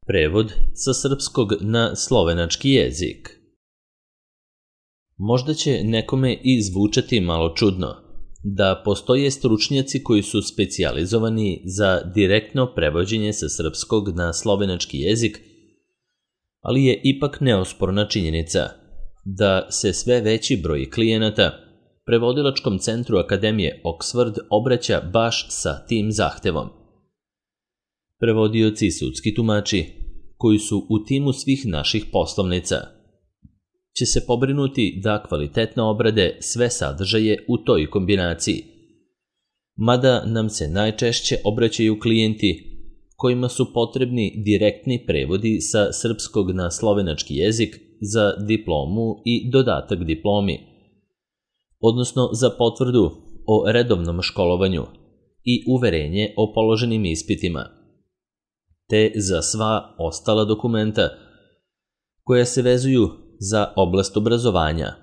Prevod sa srpskog na slovenački jezik. Možda će nekome i zvučati malo čudno da postoje stručnjaci koji su specijalizovani za direktno prevođenje sa srpskog na slovenački jezik, ali je ipak neosporna činjenica da se sve veći broj klijenata prevodilačkom centru Akademije Oxford obraća baš sa tim zahtevom. Prevodioci i sudski tumači, koji su u timu svih naših poslovnica, će se pobrinuti da kvalitetno obrade sve sadržaje u toj kombinaciji, mada nam se najčešće obraćaju klijenti kojima su potrebni direktni prevodi sa srpskog na slovenački jezik za diplomu i dodatak diplomi, odnosno za potvrdu o redovnom školovanju i uverenje o položenim ispitima, te za sva ostala dokumenta koja se vezuju za oblast obrazovanja,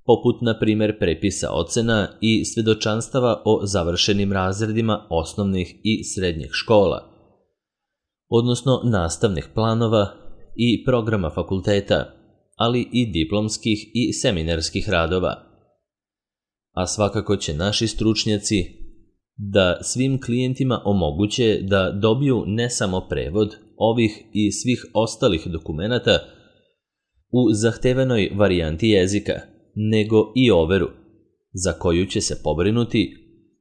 poput na primjer prepisa ocena i svedočanstava o završenim razredima osnovnih i srednjih škola, odnosno nastavnih planova i programa fakulteta, ali i diplomskih i seminarskih radova. A svakako će naši stručnjaci da svim klijentima omoguće da dobiju ne samo prevod ovih i svih ostalih dokumenata u zahtevenoj varijanti jezika, nego i overu, za koju će se pobrinuti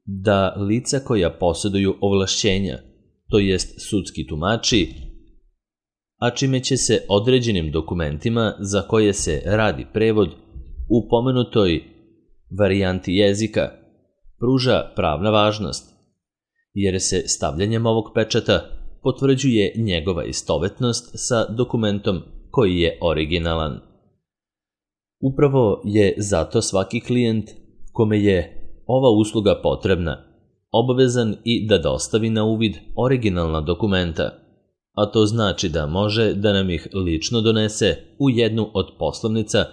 da lica koja posjeduju ovlašćenja, to jest sudski tumači, a čime će se određenim dokumentima za koje se radi prevod u pomenutoj varijanti jezika pruža pravna važnost, jer se stavljanjem ovog pečata potvrđuje njegova istovetnost sa dokumentom koji je originalan. Upravo je zato svaki klijent kome je ova usluga potrebna obavezan i da dostavi na uvid originalna dokumenta, a to znači da može da nam ih lično donese u jednu od poslovnica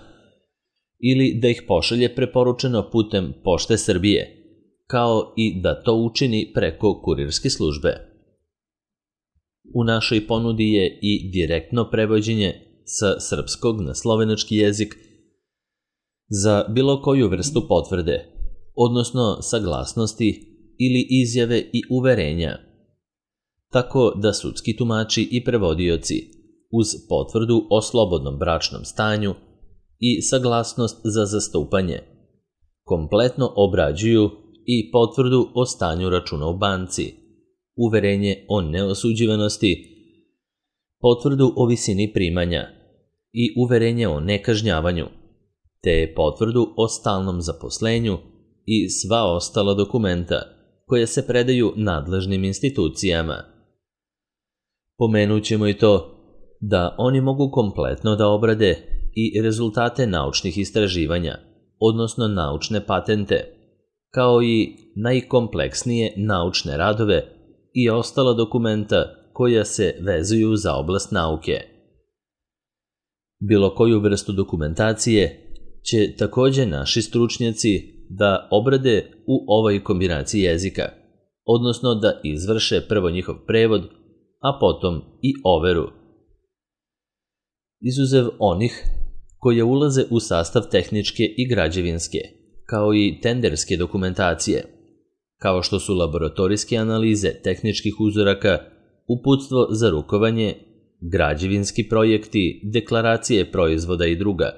ili da ih pošalje preporučeno putem Pošte Srbije, kao i da to učini preko kurirske službe. U našoj ponudi je i direktno prevođenje sa srpskog na slovenački jezik za bilo koju vrstu potvrde, odnosno saglasnosti ili izjave i uverenja, tako da sudski tumači i prevodioci uz potvrdu o slobodnom bračnom stanju i saglasnost za zastupanje kompletno obrađuju i potvrdu o stanju računa u banci, uverenje o neosuđivanosti, potvrdu o visini primanja i uverenje o nekažnjavanju, te potvrdu o stalnom zaposlenju i sva ostala dokumenta koje se predaju nadležnim institucijama. Pomenut ćemo i to da oni mogu kompletno da obrade i rezultate naučnih istraživanja, odnosno naučne patente, kao i najkompleksnije naučne radove i ostala dokumenta koja se vezuju za oblast nauke. Bilo koju vrstu dokumentacije će također naši stručnjaci da obrade u ovoj kombinaciji jezika, odnosno da izvrše prvo njihov prevod, a potom i overu. Izuzev onih koje ulaze u sastav tehničke i građevinske, kao i tenderske dokumentacije, kao što su laboratorijske analize tehničkih uzoraka, uputstvo za rukovanje, građevinski projekti, deklaracije proizvoda i druga.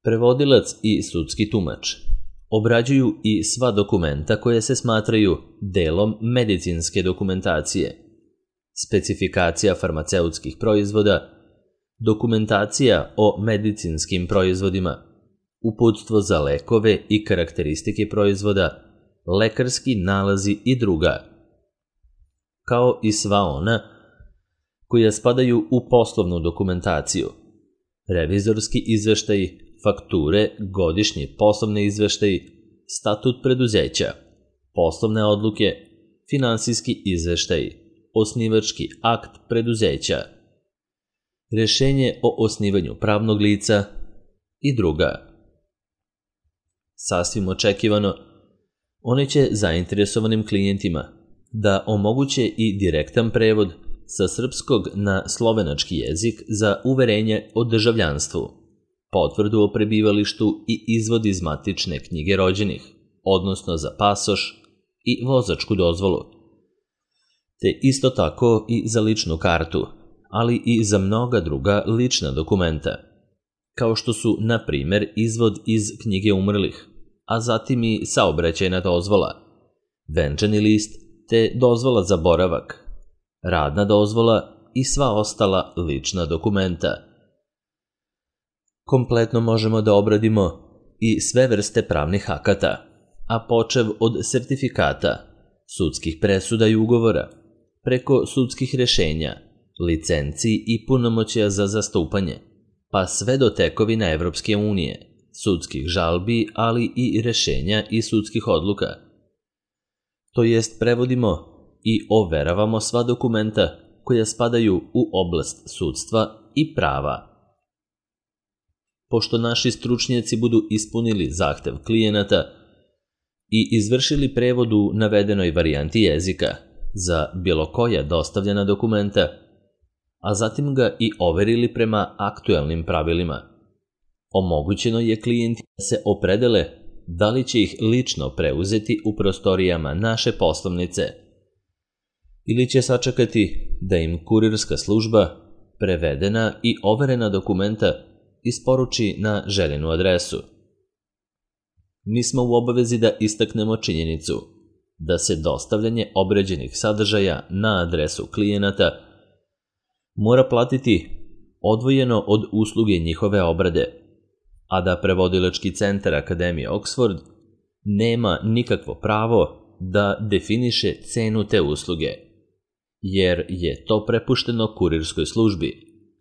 Prevodilac i sudski tumač obrađuju i sva dokumenta koje se smatraju delom medicinske dokumentacije, specifikacija farmaceutskih proizvoda, dokumentacija o medicinskim proizvodima, uputstvo za lekove i karakteristike proizvoda, lekarski nalazi i druga, kao i sva ona koja spadaju u poslovnu dokumentaciju, revizorski izveštaji, fakture, godišnji poslovni izveštaji, statut preduzeća, poslovne odluke, finansijski izveštaji, osnivački akt preduzeća, rješenje o osnivanju pravnog lica i druga. Sasvim očekivano, one će zainteresovanim klijentima da omoguće i direktan prevod sa srpskog na slovenački jezik za uverenje o državljanstvu, potvrdu o prebivalištu i izvod iz matične knjige rođenih, odnosno za pasoš i vozačku dozvolu, te isto tako i za ličnu kartu, ali i za mnoga druga lična dokumenta, kao što su, na primer, izvod iz knjige umrlih, a zatim i saobraćajna dozvola, venčani list te dozvola za boravak, radna dozvola i sva ostala lična dokumenta. Kompletno možemo da obradimo i sve vrste pravnih akata, a počev od sertifikata, sudskih presuda i ugovora, preko sudskih rešenja, licenci i punomoćja za zastupanje, pa sve do tekovina Evropske unije, sudskih žalbi, ali i rešenja i sudskih odluka. To jest prevodimo i overavamo sva dokumenta koja spadaju u oblast sudstva i prava. Pošto naši stručnjaci budu ispunili zahtev klijenata i izvršili prevod u navedenoj varijanti jezika za bilo koja dostavljena dokumenta, a zatim ga i overili prema aktuelnim pravilima, omogućeno je klijentima da se opredele da li će ih lično preuzeti u prostorijama naše poslovnice ili će sačekati da im kurirska služba prevedena i overena dokumenta isporuči na željenu adresu. Mi smo u obavezi da istaknemo činjenicu da se dostavljanje obrađenih sadržaja na adresu klijenata mora platiti odvojeno od usluge njihove obrade, a da prevodilački centar Akademije Oxford nema nikakvo pravo da definiše cenu te usluge, jer je to prepušteno kurirskoj službi,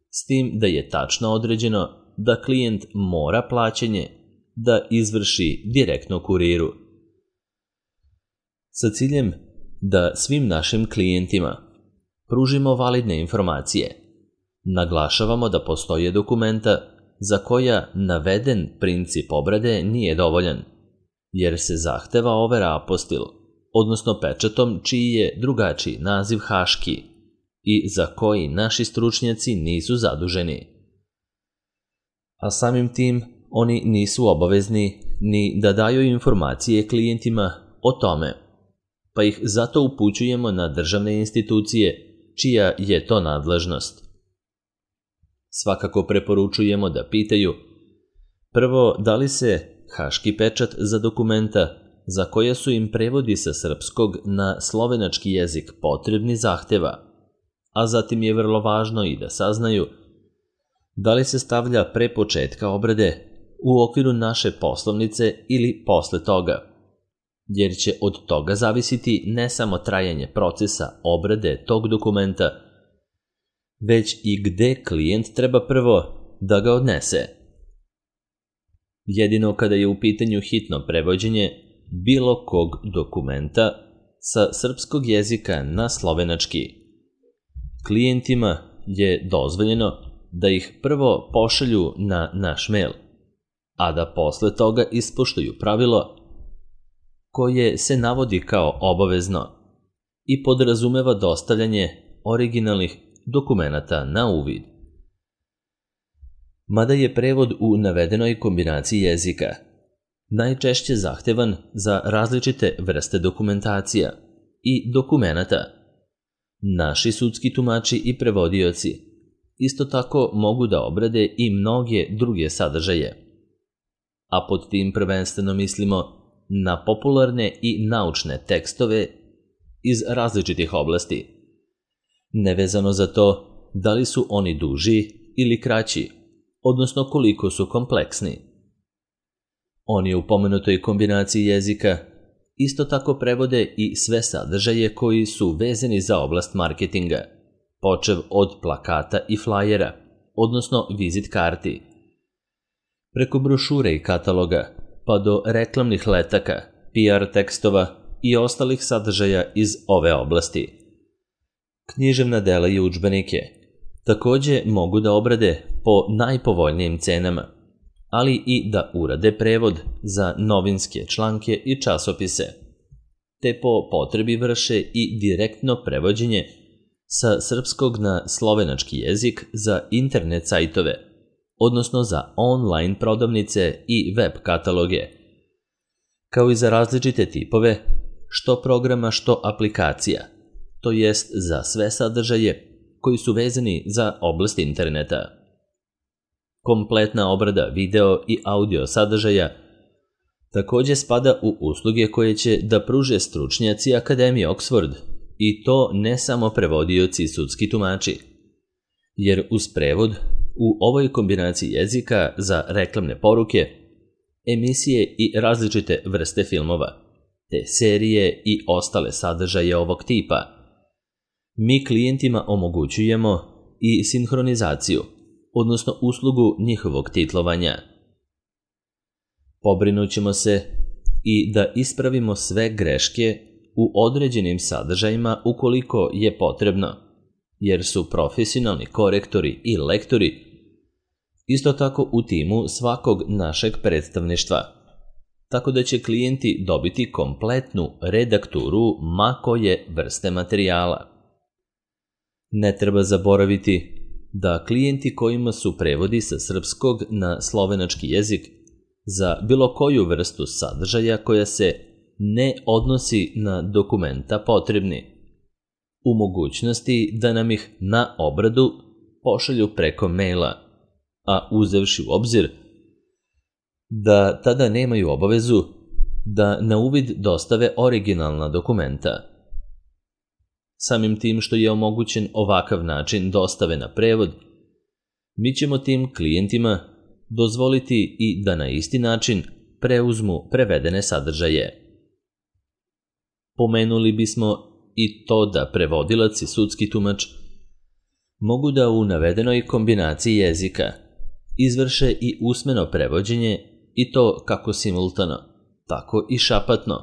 s tim da je tačno određeno da klijent mora plaćanje da izvrši direktno kuriru. Sa ciljem da svim našim klijentima pružimo validne informacije, naglašavamo da postoje dokumenta za koja naveden princip obrade nije dovoljan, jer se zahteva overa apostil, odnosno pečatom čiji je drugačiji naziv haški i za koji naši stručnjaci nisu zaduženi. A samim tim oni nisu obavezni ni da daju informacije klijentima o tome, pa ih zato upućujemo na državne institucije čija je to nadležnost. Svakako preporučujemo da pitaju prvo da li se haški pečat za dokumenta za koje su im prevodi sa srpskog na slovenački jezik potrebni zahteva, a zatim je vrlo važno i da saznaju da li se stavlja pre početka obrade u okviru naše poslovnice ili posle toga, jer će od toga zavisiti ne samo trajanje procesa obrade tog dokumenta, već i gde klijent treba prvo da ga odnese. Jedino kada je u pitanju hitno prevođenje bilo kog dokumenta sa srpskog jezika na slovenački, klijentima je dozvoljeno da ih prvo pošalju na naš mail, a da posle toga ispoštuju pravilo koje se navodi kao obavezno i podrazumeva dostavljanje originalnih dokumenata na uvid. Mada je prevod u navedenoj kombinaciji jezika najčešće zahtevan za različite vrste dokumentacija i dokumenata, naši sudski tumači i prevodioci isto tako mogu da obrade i mnoge druge sadržaje, a pod tim prvenstveno mislimo na popularne i naučne tekstove iz različitih oblasti, nevezano za to da li su oni duži ili kraći, odnosno koliko su kompleksni. Oni u pomenutoj kombinaciji jezika isto tako prevode i sve sadržaje koji su vezani za oblast marketinga, počev od plakata i flajera, odnosno vizit karti, preko brošure i kataloga, pa do reklamnih letaka, PR tekstova i ostalih sadržaja iz ove oblasti. Književna dela i udžbenike takođe mogu da obrade po najpovoljnijim cenama, ali i da urade prevod za novinske članke i časopise, te po potrebi vrše i direktno prevođenje sa srpskog na slovenački jezik za internet sajtove, odnosno za online prodavnice i web kataloge, kao i za različite tipove, što programa, što aplikacija, to jest za sve sadržaje koji su vezani za oblast interneta. Kompletna obrada video i audio sadržaja također spada u usluge koje će da pruže stručnjaci Akademije Oxford, i to ne samo prevodioci i sudski tumači, jer uz prevod u ovoj kombinaciji jezika za reklamne poruke, emisije i različite vrste filmova, te serije i ostale sadržaje ovog tipa, mi klijentima omogućujemo i sinhronizaciju, odnosno uslugu njihovog titlovanja. Pobrinut ćemo se i da ispravimo sve greške u određenim sadržajima ukoliko je potrebno, jer su profesionalni korektori i lektori isto tako u timu svakog našeg predstavništva, tako da će klijenti dobiti kompletnu redakturu ma koje vrste materijala. Ne treba zaboraviti da klijenti kojima su prevodi sa srpskog na slovenački jezik za bilo koju vrstu sadržaja koja se ne odnosi na dokumenta potrebni, u mogućnosti da nam ih na obradu pošalju preko maila, a uzevši u obzir da tada nemaju obavezu da na uvid dostave originalna dokumenta. Samim tim što je omogućen ovakav način dostave na prevod, mi ćemo tim klijentima dozvoliti i da na isti način preuzmu prevedene sadržaje. Pomenuli bismo i to da prevodilac i sudski tumač mogu da u navedenoj kombinaciji jezika izvrše i usmeno prevođenje, i to kako simultano, tako i šapatno,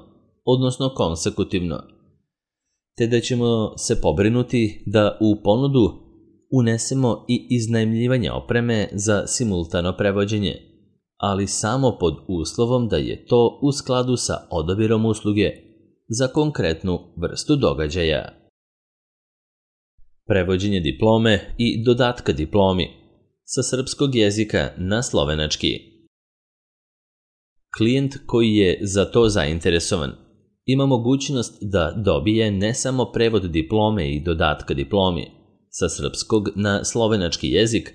odnosno konsekutivno, te da ćemo se pobrinuti da u ponudu unesemo i iznajmljivanje opreme za simultano prevođenje, ali samo pod uslovom da je to u skladu sa odabirom usluge za konkretnu vrstu događaja. Prevođenje diplome i dodatka diplomi sa srpskog jezika na slovenački. Klijent koji je za to zainteresovan ima mogućnost da dobije ne samo prevod diplome i dodatka diplomi sa srpskog na slovenački jezik,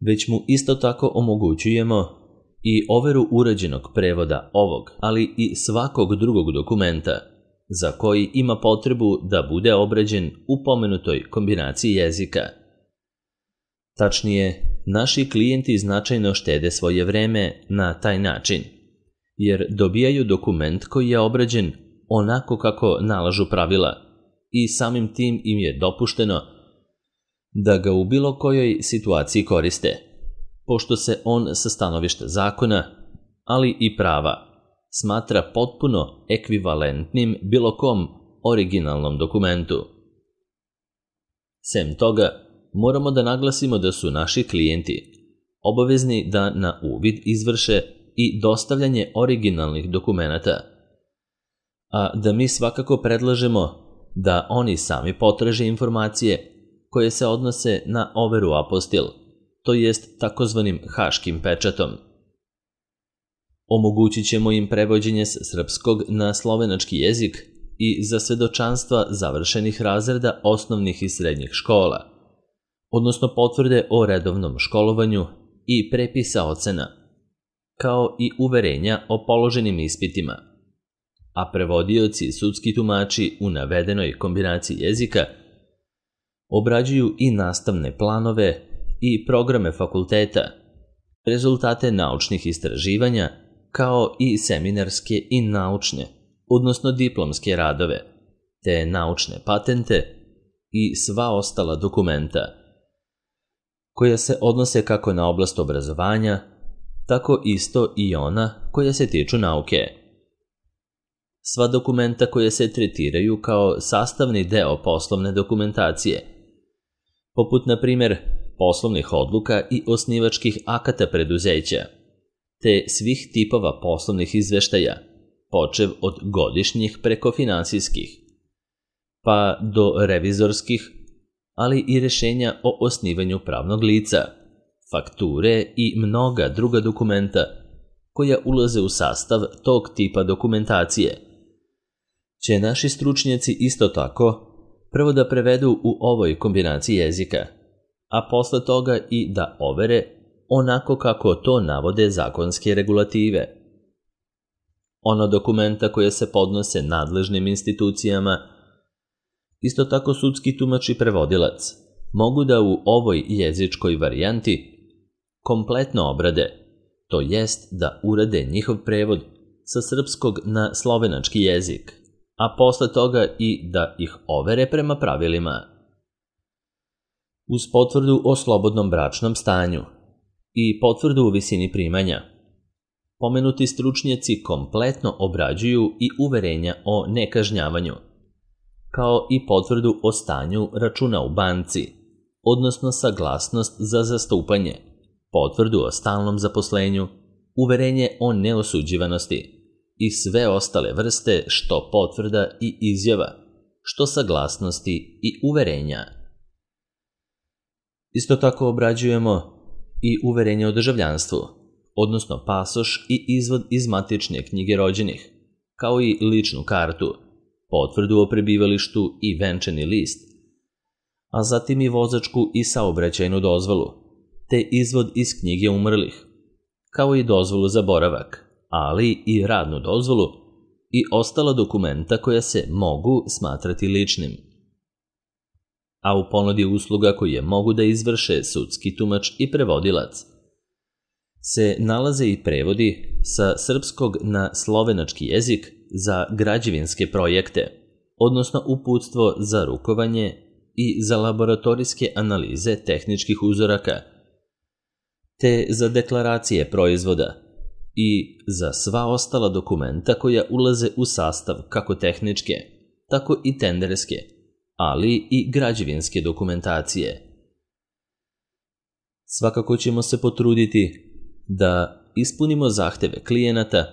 već mu isto tako omogućujemo i overu urađenog prevoda ovog, ali i svakog drugog dokumenta za koji ima potrebu da bude obrađen u pomenutoj kombinaciji jezika. Tačnije, naši klijenti značajno štede svoje vreme na taj način, jer dobijaju dokument koji je obrađen onako kako nalažu pravila i samim tim im je dopušteno da ga u bilo kojoj situaciji koriste, pošto se on sa stanovišta zakona, ali i prava, smatra potpuno ekvivalentnim bilo kom originalnom dokumentu. Sem toga, moramo da naglasimo da su naši klijenti obavezni da na uvid izvrše i dostavljanje originalnih dokumenata, a da mi svakako predlažemo da oni sami potraže informacije koje se odnose na overu apostil, to jest takozvanim haškim pečatom. Omogućit ćemo im prevođenje s srpskog na slovenački jezik i za svedočanstva završenih razreda osnovnih i srednjih škola, odnosno potvrde o redovnom školovanju i prepisa ocena, kao i uverenja o položenim ispitima, a prevodioci i sudski tumači u navedenoj kombinaciji jezika obrađuju i nastavne planove i programe fakulteta, rezultate naučnih istraživanja, kao i seminarske i naučne, odnosno diplomske radove, te naučne patente i sva ostala dokumenta, koja se odnose kako na oblast obrazovanja, tako isto i ona koja se tiču nauke. Sva dokumenta koja se tretiraju kao sastavni deo poslovne dokumentacije, poput na primjer poslovnih odluka i osnivačkih akata preduzeća, te svih tipova poslovnih izveštaja, počev od godišnjih preko finansijskih, pa do revizorskih, ali i rješenja o osnivanju pravnog lica, fakture i mnoga druga dokumenta koja ulaze u sastav tog tipa dokumentacije, će naši stručnjaci isto tako prvo da prevedu u ovoj kombinaciji jezika, a posle toga i da overe onako kako to navode zakonske regulative. Ono dokumenta koje se podnose nadležnim institucijama, isto tako sudski tumač i prevodilac, mogu da u ovoj jezičkoj varijanti kompletno obrade, to jest da urade njihov prevod sa srpskog na slovenački jezik, a posle toga i da ih overe prema pravilima. Uz potvrdu o slobodnom bračnom stanju i potvrdu u visini primanja, pomenuti stručnjaci kompletno obrađuju i uverenja o nekažnjavanju, kao i potvrdu o stanju računa u banci, odnosno saglasnost za zastupanje, potvrdu o stalnom zaposlenju, uverenje o neosuđivanosti i sve ostale vrste što potvrda i izjava, što saglasnosti i uverenja. Isto tako obrađujemo i uverenje o državljanstvu, odnosno pasoš i izvod iz matične knjige rođenih, kao i ličnu kartu, potvrdu o prebivalištu i venčani list, a zatim i vozačku i saobraćajnu dozvolu, te izvod iz knjige umrlih, kao i dozvolu za boravak, ali i radnu dozvolu i ostala dokumenta koja se mogu smatrati ličnim. A u ponudi usluga koje mogu da izvrše sudski tumač i prevodilac se nalaze i prevodi sa srpskog na slovenački jezik za građevinske projekte, odnosno uputstvo za rukovanje i za laboratorijske analize tehničkih uzoraka, te za deklaracije proizvoda i za sva ostala dokumenta koja ulaze u sastav kako tehničke, tako i tenderske, ali i građevinske dokumentacije. Svakako ćemo se potruditi da ispunimo zahteve klijenata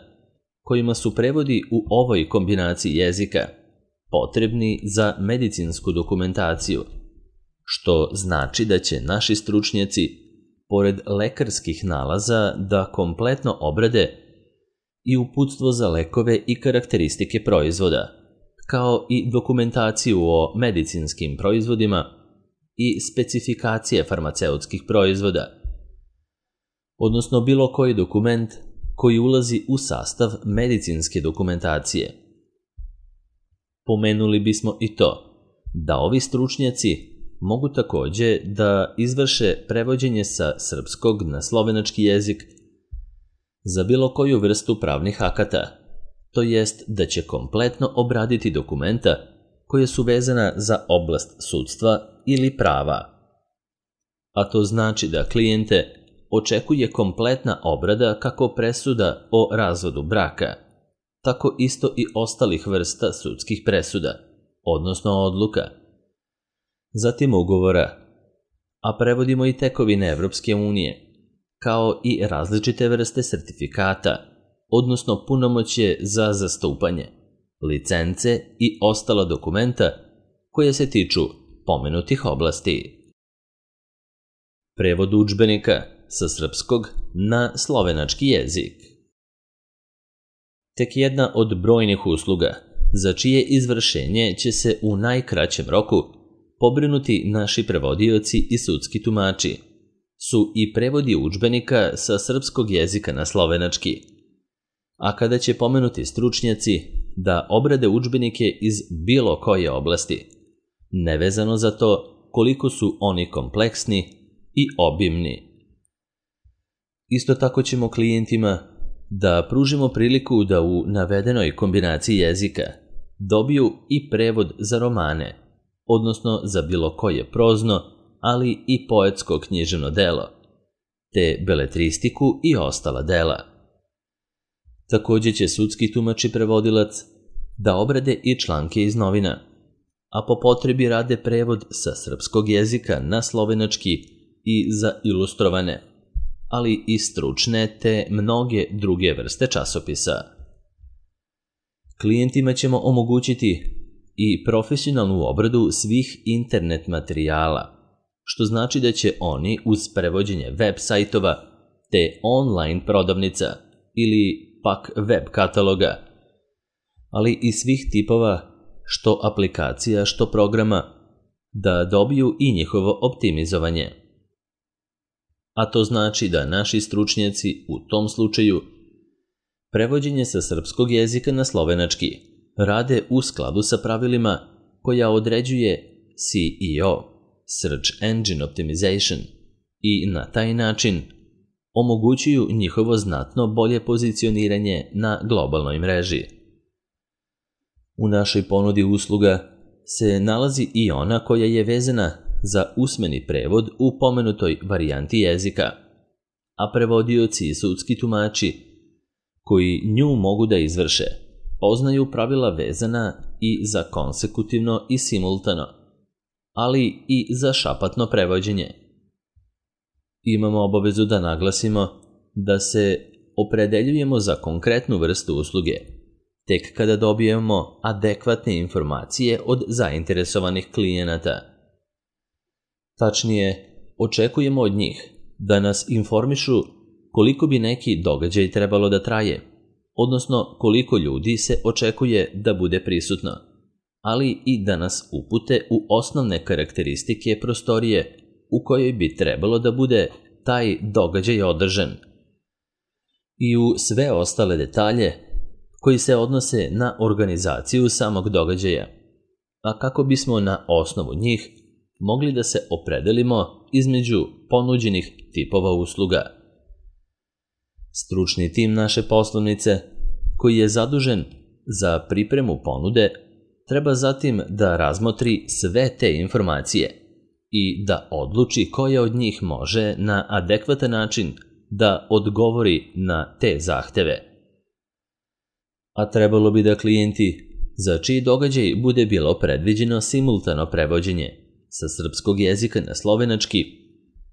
kojima su prevodi u ovoj kombinaciji jezika potrebni za medicinsku dokumentaciju, što znači da će naši stručnjaci pored lekarskih nalaza da kompletno obrade i uputstvo za lekove i karakteristike proizvoda, kao i dokumentaciju o medicinskim proizvodima i specifikacije farmaceutskih proizvoda, odnosno bilo koji dokument koji ulazi u sastav medicinske dokumentacije. Pomenuli bismo i to da ovi stručnjaci mogu takođe da izvrše prevođenje sa srpskog na slovenački jezik za bilo koju vrstu pravnih akata, to jest da će kompletno obraditi dokumenta koje su vezana za oblast sudstva ili prava. A to znači da klijente očekuje kompletna obrada kako presuda o razvodu braka, tako isto i ostalih vrsta sudskih presuda, odnosno odluka, zatim ugovora, a prevodimo i tekovine Evropske unije, kao i različite vrste sertifikata, odnosno punomoćje za zastupanje, licence i ostala dokumenta koje se tiču pomenutih oblasti. Prevod udžbenika sa srpskog na slovenački jezik. Tek jedna od brojnih usluga, za čije izvršenje će se u najkraćem roku pobrinuti naši prevodioci i sudski tumači, su i prevodi udžbenika sa srpskog jezika na slovenački. A kada će pomenuti stručnjaci da obrade udžbenike iz bilo koje oblasti, nevezano za to koliko su oni kompleksni i obimni. Isto tako ćemo klijentima da pružimo priliku da u navedenoj kombinaciji jezika dobiju i prevod za romane, odnosno za bilo koje prozno, ali i poetsko književno delo, te beletristiku i ostala dela. Takođe će sudski tumač i prevodilac da obrade i članke iz novina, a po potrebi rade prevod sa srpskog jezika na slovenački i za ilustrovane, ali i stručne te mnoge druge vrste časopisa. Klijentima ćemo omogućiti i profesionalnu obradu svih internet materijala, što znači da će oni uz prevođenje web sajtova te online prodavnica ili pak web kataloga, ali i svih tipova što aplikacija, što programa, da dobiju i njihovo optimizovanje. A to znači da naši stručnjaci u tom slučaju prevođenje sa srpskog jezika na slovenački rade u skladu sa pravilima koja određuje SEO, Search Engine Optimization, i na taj način omogućuju njihovo znatno bolje pozicioniranje na globalnoj mreži. U našoj ponudi usluga se nalazi i ona koja je vezana za usmeni prevod u pomenutoj varijanti jezika, a prevodioci i sudski tumači koji nju mogu da izvrše poznaju pravila vezana i za konsekutivno i simultano, ali i za šapatno prevođenje. Imamo obavezu da naglasimo da se opredeljujemo za konkretnu vrstu usluge, tek kada dobijemo adekvatne informacije od zainteresovanih klijenata. Tačnije, očekujemo od njih da nas informišu koliko bi neki događaj trebalo da traje, odnosno koliko ljudi se očekuje da bude prisutno, ali i da nas upute u osnovne karakteristike prostorije u kojoj bi trebalo da bude taj događaj održan i u sve ostale detalje koji se odnose na organizaciju samog događaja, a kako bismo na osnovu njih mogli da se opredelimo između ponuđenih tipova usluga. Stručni tim naše poslovnice, koji je zadužen za pripremu ponude, treba zatim da razmotri sve te informacije i da odluči koja od njih može na adekvatan način da odgovori na te zahteve. A trebalo bi da klijenti, za čiji događaj bude bilo predviđeno simultano prevođenje sa srpskog jezika na slovenački,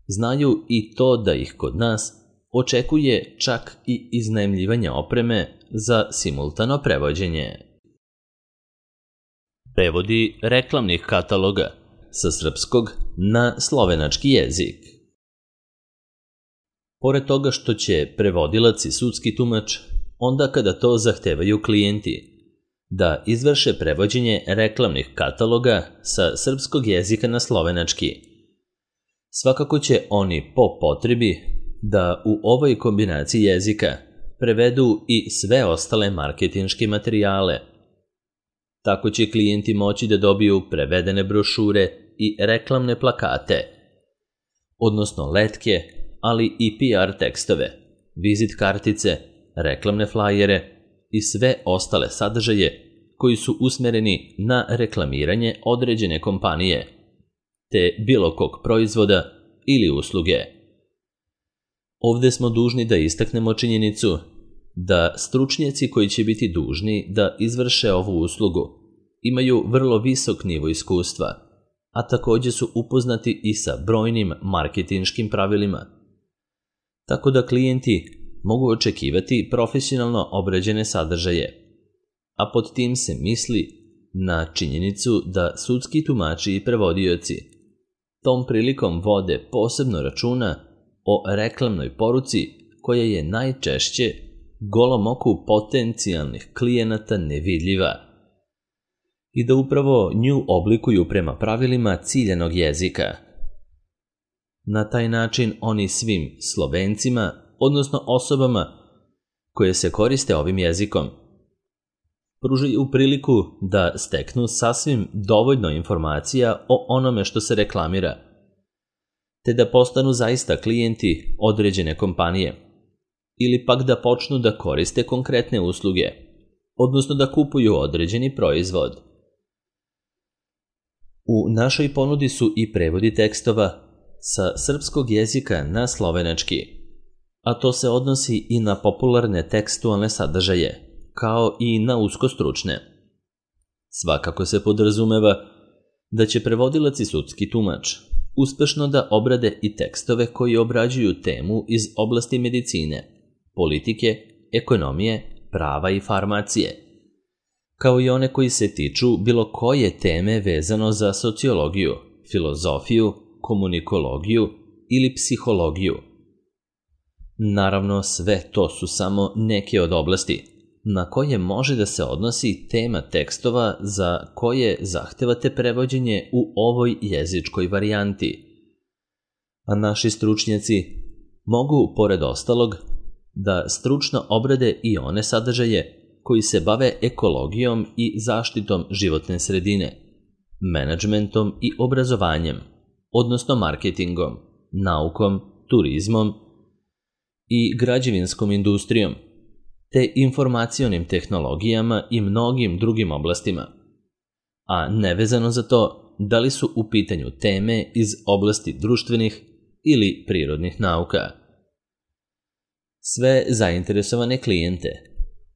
znaju i to da ih kod nas očekuje čak i iznajmljivanje opreme za simultano prevođenje. Prevodi reklamnih kataloga sa srpskog na slovenački jezik. Pored toga što će prevodilac i sudski tumač, onda kada to zahtevaju klijenti, da izvrše prevođenje reklamnih kataloga sa srpskog jezika na slovenački, svakako će oni po potrebi da u ovoj kombinaciji jezika prevedu i sve ostale marketinške materijale. Tako će klijenti moći da dobiju prevedene brošure i reklamne plakate, odnosno letke, ali i PR tekstove, vizit kartice, reklamne flajere i sve ostale sadržaje koji su usmereni na reklamiranje određene kompanije, te bilo kog proizvoda ili usluge. Ovde smo dužni da istaknemo činjenicu da stručnjaci koji će biti dužni da izvrše ovu uslugu imaju vrlo visok nivo iskustva, a takođe su upoznati i sa brojnim marketinškim pravilima. Tako da klijenti mogu očekivati profesionalno obrađene sadržaje, a pod tim se misli na činjenicu da sudski tumači i prevodioci tom prilikom vode posebno računa o reklamnoj poruci koja je najčešće golom oku potencijalnih klijenata nevidljiva i da upravo nju oblikuju prema pravilima ciljanog jezika. Na taj način oni svim Slovencima, odnosno osobama koje se koriste ovim jezikom, pružaju priliku da steknu sasvim dovoljno informacija o onome što se reklamira, te da postanu zaista klijenti određene kompanije, ili pak da počnu da koriste konkretne usluge, odnosno da kupuju određeni proizvod. U našoj ponudi su i prevodi tekstova sa srpskog jezika na slovenački, a to se odnosi i na popularne tekstualne sadržaje, kao i na uskostručne. Svakako se podrazumeva da će prevodilac i sudski tumač uspešno da obrade i tekstove koji obrađuju temu iz oblasti medicine, politike, ekonomije, prava i farmacije, kao i one koji se tiču bilo koje teme vezano za sociologiju, filozofiju, komunikologiju ili psihologiju. Naravno, sve to su samo neke od oblasti na koje može da se odnosi tema tekstova za koje zahtevate prevođenje u ovoj jezičkoj varijanti. A naši stručnjaci mogu, pored ostalog, da stručno obrade i one sadržaje koji se bave ekologijom i zaštitom životne sredine, menadžmentom i obrazovanjem, odnosno marketingom, naukom, turizmom i građevinskom industrijom, te informacionim tehnologijama i mnogim drugim oblastima, a nevezano za to da li su u pitanju teme iz oblasti društvenih ili prirodnih nauka. Sve zainteresovane klijente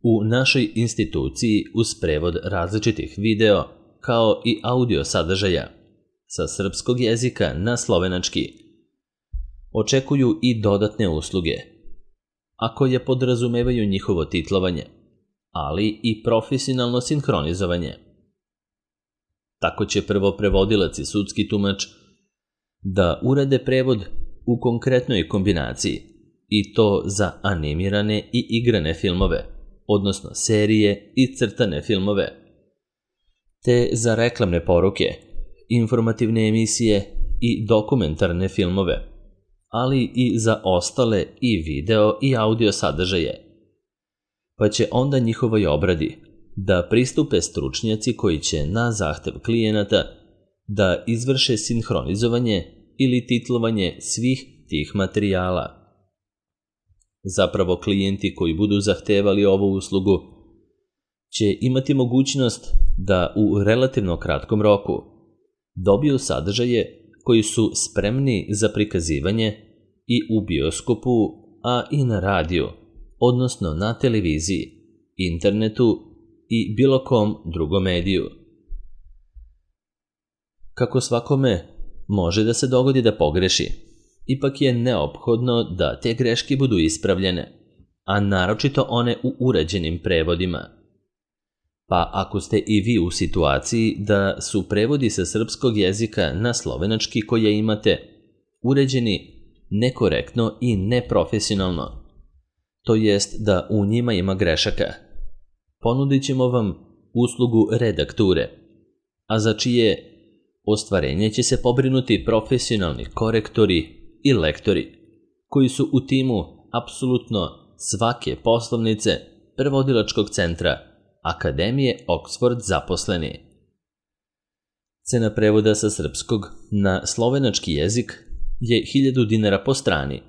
u našoj instituciji uz prevod različitih video kao i audio sadržaja sa srpskog jezika na slovenački očekuju i dodatne usluge, a koje podrazumevaju njihovo titlovanje, ali i profesionalno sinhronizovanje. Tako će prvo prevodilac i sudski tumač da urade prevod u konkretnoj kombinaciji, i to za animirane i igrane filmove, odnosno serije i crtane filmove, te za reklamne poruke, informativne emisije i dokumentarne filmove, ali i za ostale i video i audio sadržaje. Pa će onda njihovoj obradi da pristupe stručnjaci koji će na zahtev klijenata da izvrše sinhronizovanje ili titlovanje svih tih materijala. Zapravo, klijenti koji budu zahtevali ovu uslugu će imati mogućnost da u relativno kratkom roku dobiju sadržaje koji su spremni za prikazivanje i u bioskopu, a i na radiju, odnosno na televiziji, internetu i bilo kom drugom mediju. Kako svakome može da se dogodi da pogreši, ipak je neophodno da te greške budu ispravljene, a naročito one u uređenim prevodima. Pa ako ste i vi u situaciji da su prevodi sa srpskog jezika na slovenački koje imate uređeni nekorektno i neprofesionalno, to jest da u njima ima grešaka, ponudit ćemo vam uslugu redakture, a za čije ostvarenje će se pobrinuti profesionalni korektori i lektori, koji su u timu apsolutno svake poslovnice prevodilačkog centra Akademije Oxford zaposleni. Cena prevoda sa srpskog na slovenački jezik je 1000 dinara po strani.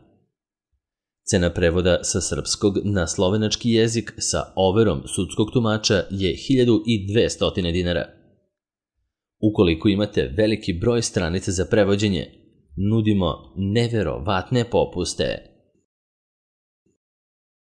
Cena prevoda sa srpskog na slovenački jezik sa overom sudskog tumača je 1200 dinara. Ukoliko imate veliki broj stranica za prevođenje, nudimo neverovatne popuste.